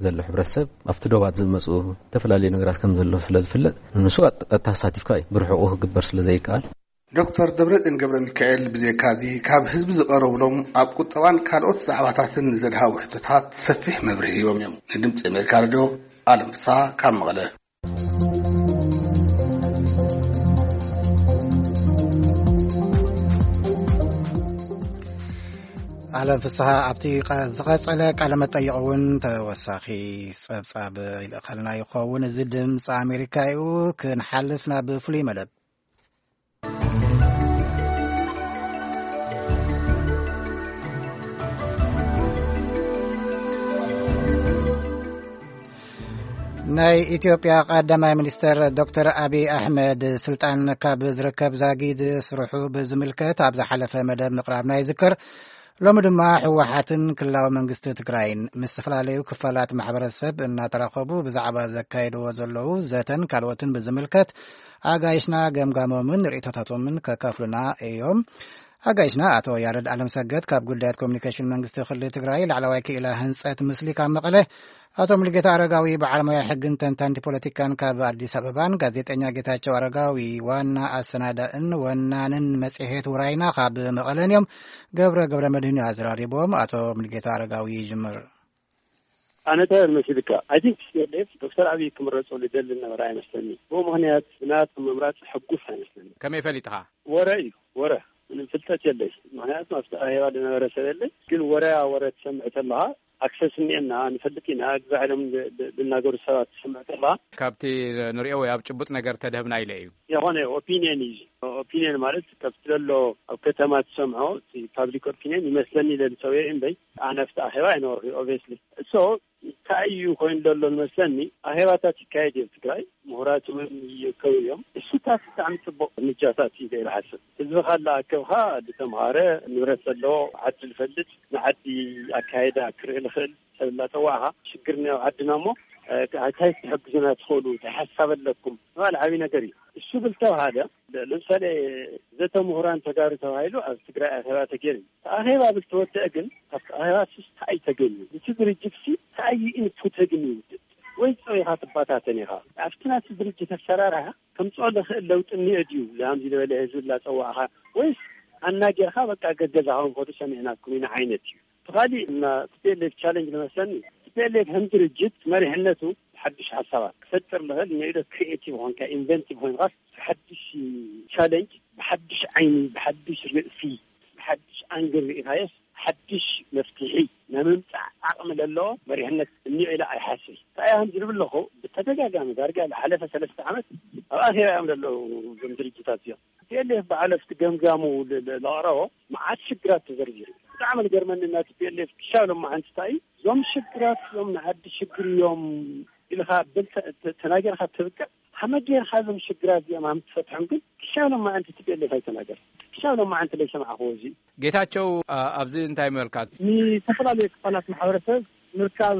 ዘሎ ሕብረተሰብ ኣብቲ ዶባት ዝመፁ ዝተፈላለዩ ነገራት ከም ዘሎ ስለ ዝፍለጥ፣ ንሱ ቀጥታ ኣሳቲፍካ እዩ ብርሕቑ ክግበር ስለ ዘይከኣል። ዶክተር ደብረፅዮን ገብረ ሚካኤል ብዘይካዚ ካብ ህዝቢ ዝቐረብሎም ኣብ ቁጠባን ካልኦት ዛዕባታትን ንዘድሃቡ ሕቶታት ሰፊሕ መብርሂ ሂቦም እዮም። ንድምፂ ኣሜሪካ ሬድዮ ኣለም ፍስሃ ካብ መቐለ። ኣለም ፍስሃ ኣብቲ ቀ-፣ ዝቐጸለ ቃለ መጠይቕ እውን ተወሳኺ ጸብጻብ ይልእኸልና ይኸውን። እዚ ድምፂ ኣሜሪካ እዩ። ክንሓልፍ ናብ ፍሉይ መደብ። ናይ ኢትዮጵያ ቀዳማይ ሚኒስተር ዶክተር ኣቢይ ኣሕመድ ስልጣን ካብ ዝርከብ ዛጊድ ስርሑ ብዝምልከት ኣብ ዝሓለፈ መደብ ምቕራብና ይዝከር። ሎሚ ድማ ህወሓትን ክልላዊ መንግስቲ ትግራይን ምስ ዝተፈላለዩ ክፋላት ማሕበረሰብ እናተራኸቡ ብዛዕባ ዘካየድዎ ዘለዉ ዘተን ካልኦትን ብዝምልከት ኣጋይሽና ገምጋሞምን ርእይቶታቶምን ከካፍሉና እዮም። ኣጋይሽና ኣቶ ያረድ ኣለምሰገድ ካብ ጉዳያት ኮሚኒኬሽን መንግስቲ ክልል ትግራይ ላዕለዋይ ክኢላ ህንፀት ምስሊ ካብ መቐለ፣ ኣቶ ሙሉጌታ ኣረጋዊ በዓል ሞያ ሕግን ተንታንቲ ፖለቲካን ካብ ኣዲስ ኣበባን ጋዜጠኛ ጌታቸው ኣረጋዊ ዋና ኣሰናዳእን ወናንን መጽሔት ውራይና ካብ መቐለን እዮም። ገብረ ገብረ መድህን እዩ ኣዘራሪቦም። ኣቶ ሙሉጌታ ኣረጋዊ ይጅምር። ኣነ እንታይ መሲልካ? I think ቲ ፒ ኤል ኤፍ ዶክተር ኣብይ ክምረፁ ዝደሊ ነበረ ኣይመስለኒ። ብኡ ምኽንያት ብናቱ ምምራፅ ሕጉስ ኣይመስለኒ። ከመይ ፈሊጥኻ? ወረ እዩ፣ ወረ። ምንም ፍልጠት የለይ። ምኽንያቱ ኣብቲ ኣኼባ ዝነበረ ሰብ የለይ። ግን ወረያ ወረ ትሰምዕ ተለኻ፣ ኣክሰስ እኒኤና፣ ንፈልጥ ኢና፣ ግዛዕ ኢሎም ዝ-፣ ዝ-፣ ዝናገሩ ሰባት ትሰምዕ ተለኻ። ካብቲ ንሪኦ ወይ ኣብ ጭቡጥ ነገር ተድህብና ኢለ እዩ። የኾነ ኦፒንየን እዩ። ኦፒንየን ማለት ካብቲ ዘሎ ኣብ ከተማ ትሰምዖ፣ እቲ ፓብሊክ ኦፒንየን ይመስለኒ ኢለ ዝሰውየ እምበይ፣ ኣነ ኣብቲ ኣኼባ ኣይነበርኩ፣ ኦብቪየስሊ። እሶ እንታይ እዩ ኮይኑ ዘሎ ዝመስለኒ፣ ኣኼባታት ይካየድ እዩ ኣብ ትግራይ፣ ምሁራት እውን ይርከቡ እዮም። እሱታት ብጣዕሚ ጽቡቕ እርምጃታት እዩ ኢለ ይሓስብ። ህዝብኻ እናኣከብካ፣ ዝተምሃረ፣ ንብረት ዘለዎ፣ ዓዲ ዝፈልጥ፣ ንዓዲ ኣካይዳ ክርኢ ዝኽእል ሰብ እናጸዋዕካ፣ ሽግር እኒኦ ኣብ ዓድና እሞ፣ እ፣ እንታይ ክትሕግዙና ትኽእሉ፣ እንታይ ሓሳብ ኣለኩም ምባል ዓብዪ ነገር እዩ። እሱ ብል ተባሃለ፣ ለ-፣ ለምሳሌ ዘተ ምሁራን ተጋሩ ተባሂሉ ኣብ ትግራይ ኣኼባ ተገይሩ እዩ። እቲ ኣኼባ ብል ተወደአ ግን፣ ካብቲ ኣኼባ ስስ እንታይ እዩ ተገንዩ? እቲ ድርጅት ሲ እንታይ እዩ ኢንፑት ተገንዩ? ወይ ጸው ኢኻ ትባታተን ኢኻ። ኣብቲ ናቲ ድርጅት ኣሰራርሓ ከምጽኦ ዝኽእል ለውጢ እኒኦ ድዩ? ላምዚ ዝበለ ህዝቢ ላጸዋዕኻ ወይስ ኣናጌርካ በቃ ገገዛኻ እንኮዱ ሰሚዕናኩም ኢና ዓይነት እዩ። ብኻሊእ እና ቲ ፒ ኤል ኤፍ ቻሌንጅ ዝመስለኒ፣ ቲ ፒ ኤል ኤፍ ከም ድርጅት መሪሕነቱ ሓድሽ ሓሳባት ክፈጥር ዝኽእል ንዒዶ ክሪኤቲቭ ኾንካ ኢንቨንቲቭ ኾንካ ሓድሽ ቻሌንጅ ብሓድሽ ዓይኒ ብሓድሽ ርእሲ ብሓድሽ ኣንግል ርኢኻዮስ ሓድሽ መፍትሒ ናይ ምምፃእ ዓቕሚ ዘለዎ መሪሕነት እኒኦ ኢለ ኣይሓስብ። እንታይ እዮም ዝብል ኣለኹ? ብተደጋጋሚ ዳርጋ ዝሓለፈ ሰለስተ ዓመት ኣብ ኣኼባ እዮም ዘለዉ እዞም ድርጅታት እዚኦም። ቲ ፒ ኤል ኤፍ በዓል ኣብቲ ገምጋሙ ል- ል- ለቕረቦ መዓት ሽግራት ተዘርዚሩ። ብጣዕሚ ዝገርመኒ ናቲ ፒ ኤል ኤፍ ክሻብ ሎማዓንቲ እንታይ እዩ እዞም ሽግራት እዮም ንዓዲ ሽግር እዮም ኢልካ ብል ተ- ተ- ተናገርካ ትብቅዕ ሃመ ጌርካ እዞም ሽግራት እዚኦም ሃም ትፈትሖም ግን ክሻብ ሎማዓንቲ ቲ ፒ ኤል ኤፍ ኣይተናገር ክሻብ ሎማዓንቲ ለይሰማዕክዎ እዚ ጌታቸው፣ ኣ- ኣብዚ እንታይ መልካ? ንዝተፈላለዩ ክፋላት ማሕበረሰብ ምርካብ፣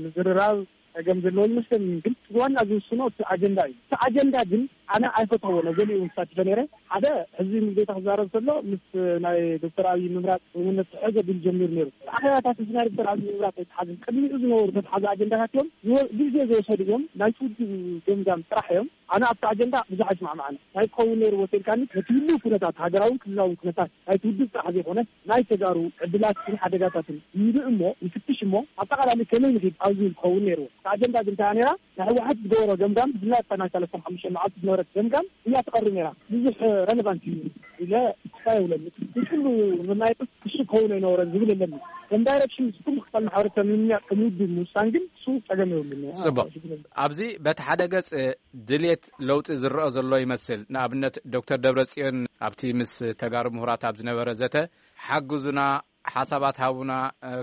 ምዝርራብ ጸገም ዘለዎ ይመስለኒ። ግን ዋና ዝውስኖ እቲ ኣጀንዳ እዩ። እቲ ኣጀንዳ ግን ኣነ ኣይፈተዎ ነዘሊኡ ምሳት ነረ ሓደ ሕዚ ምስ ጌታ ክዛረብ ከሎ ምስ ናይ ዶክተር ኣብይ ምምራፅ ስምምነት ዝሕዘ ብል ጀሚሩ ነይሩ። ኣኸባታት እዚ ናይ ዶክተር ኣብይ ምምራፅ ኣይተሓዝን ቅድሚኡ ዝነበሩ ተተሓዘ ኣጀንዳታት እዮም ዝወ- ግዜ ዝወሰዱ እዮም። ናይ ትውድብ ገምጋም ጥራሕ እዮም። ኣነ ኣብቲ ኣጀንዳ ብዙሕ ኣይስማዕማዕን። ናይ ክኸውን ነይሩ ወሲድካኒ ነቲ ህልው ኩነታት ሃገራውን ክልላውን ኩነታት ናይ ትውድብ ጥራሕ ዘይኮነ ናይ ተጋሩ ዕድላትን ሓደጋታትን ይርኢ እሞ ይፍትሽ እሞ ኣጠቓላሊ ከመይ ንኺድ ኣብ ዝብል ክኸውን ነይርዎ። እቲ ኣጀንዳ ግን እንታይ ነራ ናይ ህወሓት ዝገበሮ ገምጋም ብፍላይ ኣብታ ናይ ሰለስተ ሓሙሽተ መዓልቲ ዝነበረት ገምጋም እያ ትቐርብ ነራ። ብዙሕ ረለቫንት እዩ ኢለ ክፋ የብለኒ። ንኩሉ መናየት ክሱ ክኸውን ኣይነበረን ዝብል የለኒ። ከም ዳይሬክሽን ምስ ኩሉ ክፋል ማሕበረሰብ ንምምያጥ ከም ውድብ ምውሳን ግን እሱ ጸገም የብሉን። ጽቡቕ። ኣብዚ በቲ ሓደ ገጽ ድሌት ለውጢ ዝረአ ዘሎ ይመስል። ንኣብነት ዶክተር ደብረጽዮን ኣብቲ ምስ ተጋሩ ምሁራት ኣብ ዝነበረ ዘተ ሓግዙና፣ ሓሳባት ሃቡና፣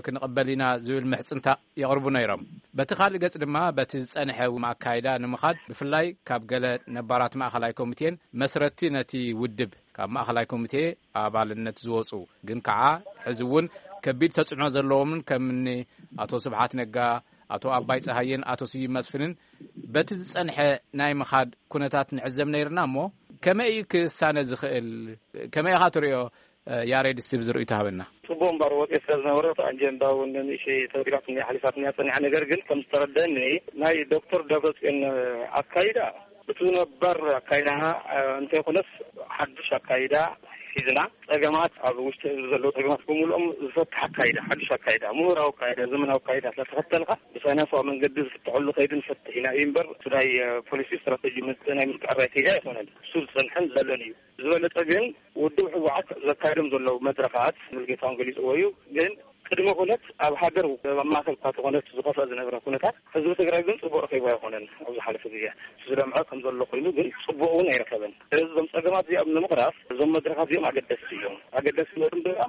ክንቕበል ኢና ዝብል ምሕጽንታ የቕርቡ ነይሮም። በቲ ካልእ ገጽ ድማ በቲ ዝጸንሐ ኣካይዳ ንምኻድ ብፍላይ ካብ ገለ ነባራት ማእኸላይ ኮሚቴን መስረቲ ነቲ ውድብ ካብ ማእኸላይ ኮሚቴ ኣባልነት ዝወጹ ግን ከዓ ሕዚ እውን ከቢድ ተጽዕኖ ዘለዎምን ከምኒ ኣቶ ስብሓት ነጋ፣ ኣቶ ኣባይ ጸሃየን ኣቶ ስዩም መስፍንን በቲ ዝጸንሐ ናይ ምኻድ ኩነታት ንዕዘብ ነይርና እሞ ከመይ እዩ ክሳነ ዝኽእል? ከመይ ኢኻ ትሪኦ? ያሬድ እስቲ ብዝርእዩ ተሃበና። ጽቡቕ እምበር ወፂ ስለ ዝነበረ ኣጀንዳ እውን ንእሽተይ ተወዲባትኒ ሓሊፋትኒ ፀኒሓ። ነገር ግን ከም ዝተረደኒ ናይ ዶክተር ደብረፅዮን ኣካይዳ እቲ ነባር ኣካይዳና እንተይኮነስ ሓዱሽ ኣካይዳ ሒዝና ጸገማት ኣብ ውሽጢ ህዝቢ ዘለዉ ጸገማት ብምልኦም ዝፈትሕ ኣካይዳ ሓዱሽ ኣካይዳ ምሁራዊ ኣካይዳ ዘመናዊ ኣካይዳ ስለተኸተልካ ብሳይንሳዊ መንገዲ ዝፍትሐሉ ከይዲ ንፈትሕ ኢና እዩ እምበር እቲ ናይ ፖሊሲ ስትራቴጂ ናይ ምትዕራይ ከይዲ ኣይኮነን። እሱ ዝጸንሐን ዘለን እዩ። ዝበለጸ ግን ውድብ ህወሓት ዘካይዶም ዘለዉ መድረኻት ሙሉጌታ እውን ገሊፅዎ እዩ። ግን ቅድመ ኩነት ኣብ ሃገር ኣብ ማእከል እኳ ተኾነት ዝኸፍአ ዝነበረ ኩነታት ህዝቢ ትግራይ ግን ፅቡቅ ረኺቡ ኣይኮነን። ኣብ ዝሓለፈ ግዜ ዝለምዐ ከም ዘሎ ኮይኑ ግን ፅቡቅ እውን ኣይረኸበን። ስለዚ እዞም ፀገማት እዚኦም ንምቕራፍ እዞም መድረኻት እዚኦም ኣገደስቲ እዮም። ኣገደስቲ ነቶም ድማ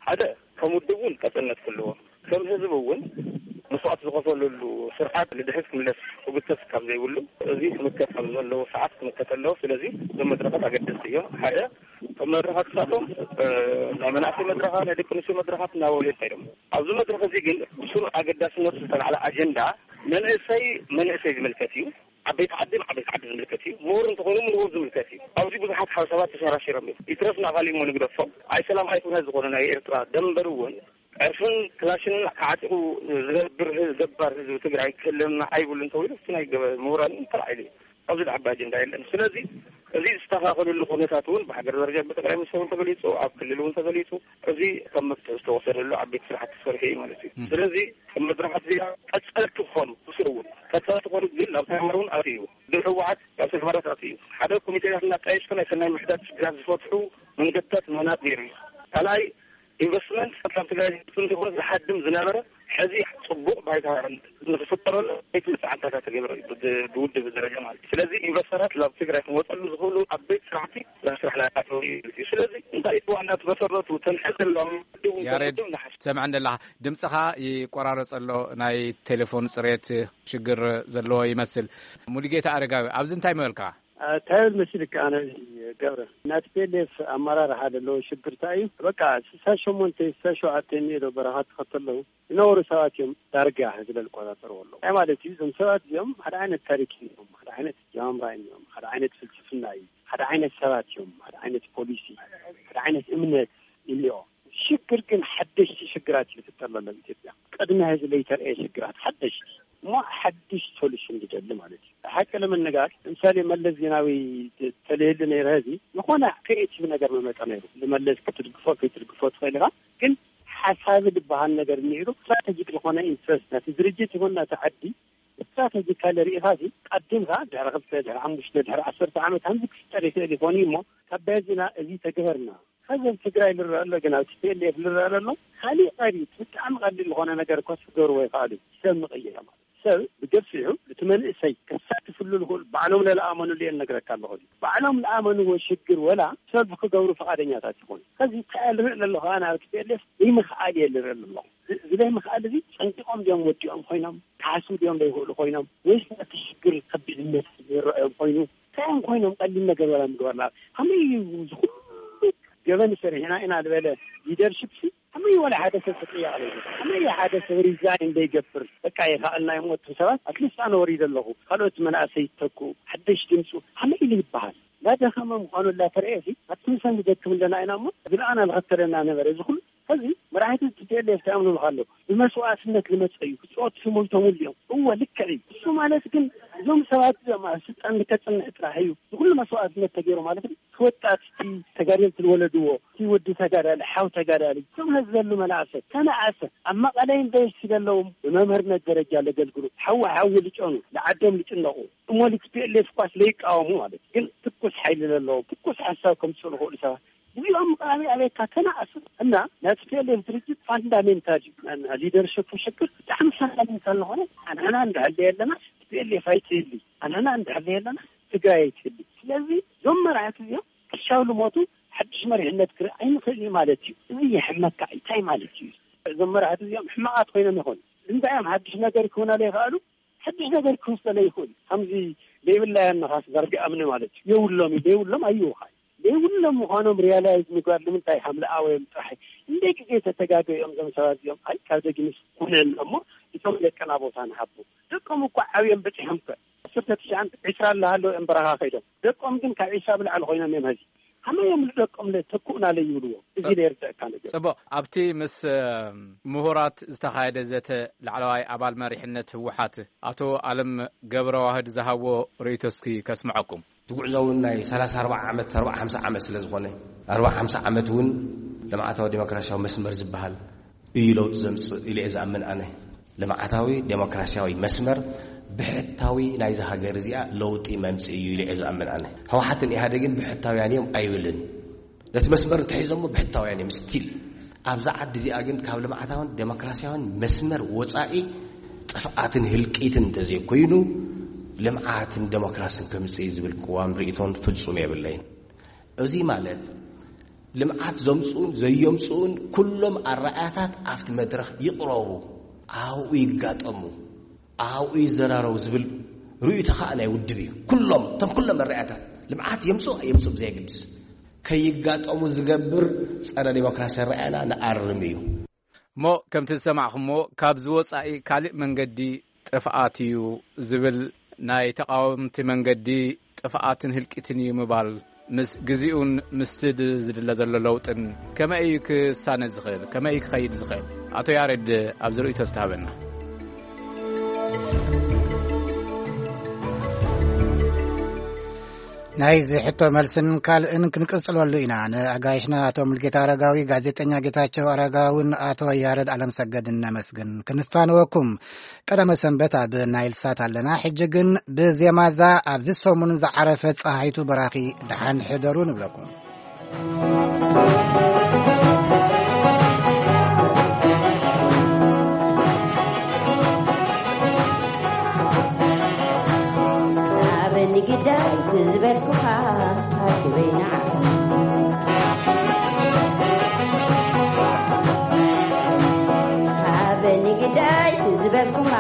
ሓደ ከም ውድብ እውን ቀፅልነት ክህልዎ ከም ህዝቢ እውን መስዋዕት ዝኸፈለሉ ስርዓት ንድሕሪት ክምለስ ክጉተት ካብ ዘይብሉ እዚ ክምከት ካብ ዘለዎ ሰዓት ክምከት ኣለዎ። ስለዚ እዞም መድረኻት ኣገደስቲ እዮም። ሓደ እቶም መድረኻት ክሳቶም ናይ መናእሰይ መድረኻ ናይ ደቂ ኣንስትዮ መድረኻት እናበሉ ይኸይዶም። ኣብዚ መድረኽ እዚ ግን ብስሩ ኣገዳስነቱ ዝተላዕለ ኣጀንዳ መንእሰይ መንእሰይ ዝምልከት እዩ። ዓበይቲ ዓዲ ዓበይቲ ዓዲ ዝምልከት እዩ። ምሁር እንተኾይኑ ምሁር ዝምልከት እዩ። ኣብዚ ብዙሓት ሓሳባት ተሸራሽሮም እዮም። ይትረፍ ንኣኻሊሞ ንግደፎም ኣይሰላም ኣይኩነ ዝኾነ ናይ ኤርትራ ደንበር እውን ዕርፍን ክላሽንን ተዓጢቑ ዝነብር ህዝቢ ገባር ህዝቢ ትግራይ ክህልወና ኣይብሉን ተባሂሉ እቲ ናይ ገበ- ምሁራን ተላዒሉ እዩ። ኣብዚ ዝዓቢ ኣጀንዳ የለን። ስለዚ እዚ ዝስተኻኸለሉ ኩነታት እውን ብሃገር ደረጃ ብጠቅላይ ሚኒስትር እውን ተገሊፁ፣ ኣብ ክልል እውን ተገሊፁ። እዚ ከም መፍትሒ ዝተወሰደሉ ዓበይቲ ስራሕቲ ተሰሪሑ እዩ ማለት እዩ። ስለዚ ከም መድረኻት እዚኣ ቀፀልቲ ክኾኑ ብስሩ እውን ቀፀልቲ ክኾኑ ግን ናብ ተግባር እውን ኣትዩ ድሕወሓት ናብ ተግባራት ኣትዩ ሓደ ኮሚቴታት እናጣየሽኩ ናይ ሰናይ ምሕዳት ሽግራት ዝፈትሑ መንገድታት ምህናፅ ነይሩ እዩ። ካልኣይ ኢንቨስትመንት ካብ ትግራይ ዝመፅእ እንተይኮነ ዝሃድም ዝነበረ ሕዚ ፅቡቅ ባይታ ንክፍጠረሉ ቤት መፅዓንታታት ተገብረ እዩ ብ- ብውድብ ደረጃ ማለት እዩ። ስለዚ ኢንቨስተራት ናብ ትግራይ ክመፀሉ ዝኽእሉ ዓበይቲ ስራሕቲ ናብ ስራሕ ናያተው እዩ። ስለዚ እንታይ ዋና መሰረቱ ተንሐ ዘለዎም ውድብ ያሬድ ውድብ ንሓሽ ሰምዐን ደለኻ ድምፅኻ ይቆራረፅ ኣሎ። ናይ ቴሌፎን ፅሬት ሽግር ዘለዎ ይመስል። ሙሉጌታ ኣረጋዊ ኣብዚ እንታይ ምበልካ? እንታይ ብል መሲልካ ኣነ ገብረ ናቲ ፒ ኤል ኤፍ ኣመራርሓ ዘለዎ ሽግር እንታይ እዩ? በቃ ስሳ ሸሞንተ ስሳ ሸውዓተ እኒኦ ዶ በረኻ ትኸተለው ዝነበሩ ሰባት እዮም ዳርጋ ህዝቢ ዝቆጻጸርዎ ኣለዉ። እንታይ ማለት እዩ? እዞም ሰባት እዚኦም ሓደ ዓይነት ታሪክ እዮም፣ ሓደ ዓይነት ኣጀማምራ እዮም፣ ሓደ ዓይነት ፍልስፍና እዩ፣ ሓደ ዓይነት ሰባት እዮም፣ ሓደ ዓይነት ፖሊሲ፣ ሓደ ዓይነት እምነት እኒኦ። ሽግር ግን ሓደሽቲ ሽግራት እዩ ዝፍጠር ዘሎ ኣብ ኢትዮጵያ። ቅድሚ ሕዚ ለይተርአየ ሽግራት ሓደሽቲ እሞ ሓድሽ ሶሉሽን ዝደሊ ማለት እዩ። ሓቂ ለመነጋር ምሳሌ መለስ ዜናዊ ተለየሉ ነይረ፣ እዚ ዝኾነ ክሬኤቲቭ ነገር መመጠ ነይሩ። ንመለስ ክትድግፎ ክትድግፎ ትኽእል ኢኻ፣ ግን ሓሳቢ ዝበሃል ነገር እኒሄዱ ስትራቴጂክ ዝኾነ ኢንትረስት ናቲ ድርጅት ይኹን ናቲ ዓዲ ስትራቴጂካሊ ርኢኻ ሲ ቀዲምካ ድሕሪ ክልተ ድሕሪ ሓሙሽተ ድሕሪ ዓሰርተ ዓመት ከምዚ ክፍጠር ይኽእል ይኾን እዩ እሞ ካብ በዚና እዚ ተግበርና። ከዚ ኣብ ትግራይ ልረአ ኣሎ፣ ግን ኣብ ቲ ፒ ኤል ኤፍ ልረአ ዘሎ ካሊእ ቀሪት ብጣዕሚ ቀሊል ዝኾነ ነገር ኮስ ክገብርዎ ይኽኣሉ። ሰብ ምቕየር ማለት ሰብ ብገፊሑ እቲ መንእሰይ ከሳትፍሉ ዝኽእል ባዕሎም ለለኣመኑሉ እየ እነግረካ ኣለኹ። ባዕሎም ለኣመንዎ ሽግር ወላ ሰልፍ ክገብሩ ፈቓደኛታት ይኾኑ። ከዚ እንታይ ልርኢ ኣለኹ ኣነ ኣብ ቲ ፒ ኤል ኤፍ ይምኽኣል እየ ልርኢ ኣለኹ። እዚ ዘይምኽኣል እዚ ጸንቂቖም ድዮም ወዲኦም ኮይኖም ክሓስቡ ድዮም ዘይኽእሉ ኮይኖም ወይስ ነቲ ሽግር ከቢድነት ዝረኣዮም ኮይኑ እንታይ እዮም ኮይኖም ቀሊል ነገር ወላ ምግባር ላ ከመይ እዩ ዝኹሉ ገበን ሰሪሕና ኢና ዝበለ ሊደርሽፕ ሲ ከመይ ወላ ሓደ ሰብ ተጠያቂ ዘይብሉ? ከመይ ሓደ ሰብ ሪዛይን ዘይገብር? በቃ ይኸኣልና እዮም ወጥሩ ሰባት ኣትሊስት ኣነ ወሪደ ኣለኹ ካልኦት መናእሰይ ይተኩ ሓደሽ ድምፁ ከመይ ኢሉ ይበሃል? ላደኸመ ምዃኑ ላተረኤ ሲ ኣትምሰን ንደክም ኣለና ኢና እሞ ዝለኣና ዝኸተለና ነበረ እዚ ኩሉ ሕዚ መራሕቲ ቲ ፒ ኤል ኤፍ እንታይ እዮም ዝብሉ ኣለዉ? ብመስዋእትነት ዝመፀ እዩ ክፅወት ዝሞይቶምሉ እዮም። እወ ልክዕ እዩ። እሱ ማለት ግን እዞም ሰባት እዚኦም ኣብ ስልጣን ንከፅንሕ ጥራሕ እዩ ዝኩሉ መስዋእትነት ተገይሩ ማለት እዩ። ክወጣት እቲ ተጋደልቲ ዝወለድዎ እቲ ወዲ ተጋዳሊ ሓው ተጋዳሊ እዞም ሕዚ ዘሉ መናእሰይ ተነኣሰ ኣብ መቐለ ዩኒቨርሲቲ ዘለዎም ብመምህርነት ደረጃ ለገልግሉ ሓዊ ሓዊ ልጨኑ ንዓዶም ልጭነቑ እሞ ቲ ፒ ኤል ኤፍ ኳስ ለይቃወሙ ማለት እዩ። ግን ትኩስ ሓይሊ ዘለዎም ትኩስ ሓሳብ ከምፅኡ ዝኽእሉ ሰባት እዚኦም ምቕራብ ኣበይካ ተናእሱ እና ናይ ቲ ፒ ኤል ኤፍ ድርጅት ፋንዳሜንታል እዩ። ሊደርሽፕ ሽግር ብጣዕሚ ፋንዳሜንታል ዝኾነ ኣንሕና እንዳሃለ የለና ቲ ፒ ኤል ኤፍ ኣይትህሊ ኣንሕና እንዳሃለ የለና ትግራይ ኣይትህሊ። ስለዚ እዞም መራሕቲ እዚኦም ክሻው ልሞቱ ሓድሽ መሪሕነት ክርኢ ኣይንኽእል እዩ ማለት እዩ። እዚ የሕመካ እንታይ ማለት እዩ? እዞም መራሕቲ እዚኦም ሕማቓት ኮይኖም ይኾኑ እንታይ እዮም ሓድሽ ነገር ክህቡና ዘይኽኣሉ ሓድሽ ነገር ክህቡ ስለ ዘይኽእሉ ከምዚ ዘይብላ እያ ነኻስ ዘርግኣምኒ ማለት እዩ። የብሎም እዩ ዘይብሎም ኣይውኻይ ዘይብሎም ምዃኖም ሪያላይዝ ምግባር ንምንታይ ሃምለኣወዮም ጥራሕ እንደ ግዜ ተተጋገዮም እዞም ሰባት እዚኦም ኣይ ካብ ደግንስ ኩነን እሞ እቶም ደቅና ቦታ ንሃቦ ደቆም እኳ ዓብዮም በፂሖም ከ ዓሰርተ ትሽዓን ዕስራ ኣለሃለዉ እዮም በረኻ ከይዶም ደቆም ግን ካብ ዒስራ ብላዕሊ ኮይኖም እዮም ሀዚ ከመይ እዮም ንደቆም ለተክኡና ለይብልዎ እዚ ለየርድአካ ነገር። ፅቡቕ ኣብቲ ምስ ምሁራት ዝተኻየደ ዘተ ላዕለዋይ ኣባል መሪሕነት ህወሓት ኣቶ ኣለም ገብረዋህድ ዝሃቦ ርእይቶ እስኪ ከስምዐኩም። እቲ ጉዕዞ እውን ናይ ሰላሳ ኣርባዓ ዓመት ኣርባዓ ሓምሳ ዓመት ስለ ዝኾነ ኣርባዓ ሓምሳ ዓመት እውን ልምዓታዊ ዴሞክራሲያዊ መስመር ዝበሃል እዩ ለውጢ ዘምፅእ ኢለ እየ ዝኣምን ኣነ። ልምዓታዊ ዴሞክራሲያዊ መስመር ብሕታዊ ናይዚ ሃገር እዚኣ ለውጢ መምፅእ እዩ ኢለ እየ ዝኣምን ኣነ። ህወሓትን ኢህኣደግን ብሕታውያን እዮም ኣይብልን። ነቲ መስመር እንተሒዞሞ ብሕታውያን እዮም ስቲል። ኣብዛ ዓዲ እዚኣ ግን ካብ ልምዓታውን ዴሞክራሲያውን መስመር ወፃኢ ጥፍኣትን ህልቂትን እንተዘይኮይኑ ልምዓትን ዴሞክራስን ከምፅእ ዝብል ቅዋም ርእቶን ፍፁም የብለይን። እዚ ማለት ልምዓት ዘምፅኡን ዘየምፅኡን ኩሎም ኣረኣያታት ኣብቲ መድረኽ ይቕረቡ፣ ኣብኡ ይጋጠሙ፣ ኣብኡ ይዘራረቡ ዝብል ርእይቶ ከዓ ናይ ውድብ እዩ። ኩሎም እቶም ኩሎም ኣረኣያታት ልምዓት የምፅኡ የምፅኡ ብዘየግድስ ከይጋጠሙ ዝገብር ፀረ ዴሞክራሲ ኣረኣያና ንኣርም እዩ። እሞ ከምቲ ዝሰማዕኹሞ ካብዚ ወፃኢ ካሊእ መንገዲ ጥፍኣት እዩ ዝብል ናይ ተቓወምቲ መንገዲ ጥፍኣትን ህልቂትን እዩ ምባል ምስ ግዜኡን ምስቲ ዝድለ ዘሎ ለውጥን ከመይ እዩ ክሳነ ዝኽእል ከመይ እዩ ክኸይድ ዝኽእል? ኣቶ ያሬድ ኣብዚ ርእይቶ ዝተሃበና። ናይዚ ሕቶ መልስን ካልእን ክንቅጽለሉ ኢና። ንኣጋይሽና ኣቶ ሙልጌታ ኣረጋዊ፣ ጋዜጠኛ ጌታቸው ኣረጋውን ኣቶ ያረድ ኣለምሰገድን ነመስግን። ክንፋነወኩም። ቀዳመ ሰንበት ኣብ ናይል ሳት ኣለና። ሕጂ ግን ብዜማዛ ኣብዚ ሰሙን ዝዓረፈት ጸሃይቱ በራኺ ደሓን ሕደሩ ንብለኩም። ኣበኒ ግዳይ ዝበልኩኻ ኣኪበይ ንዓኻ ኣበኒ ግዳይ ዝበልኩኻ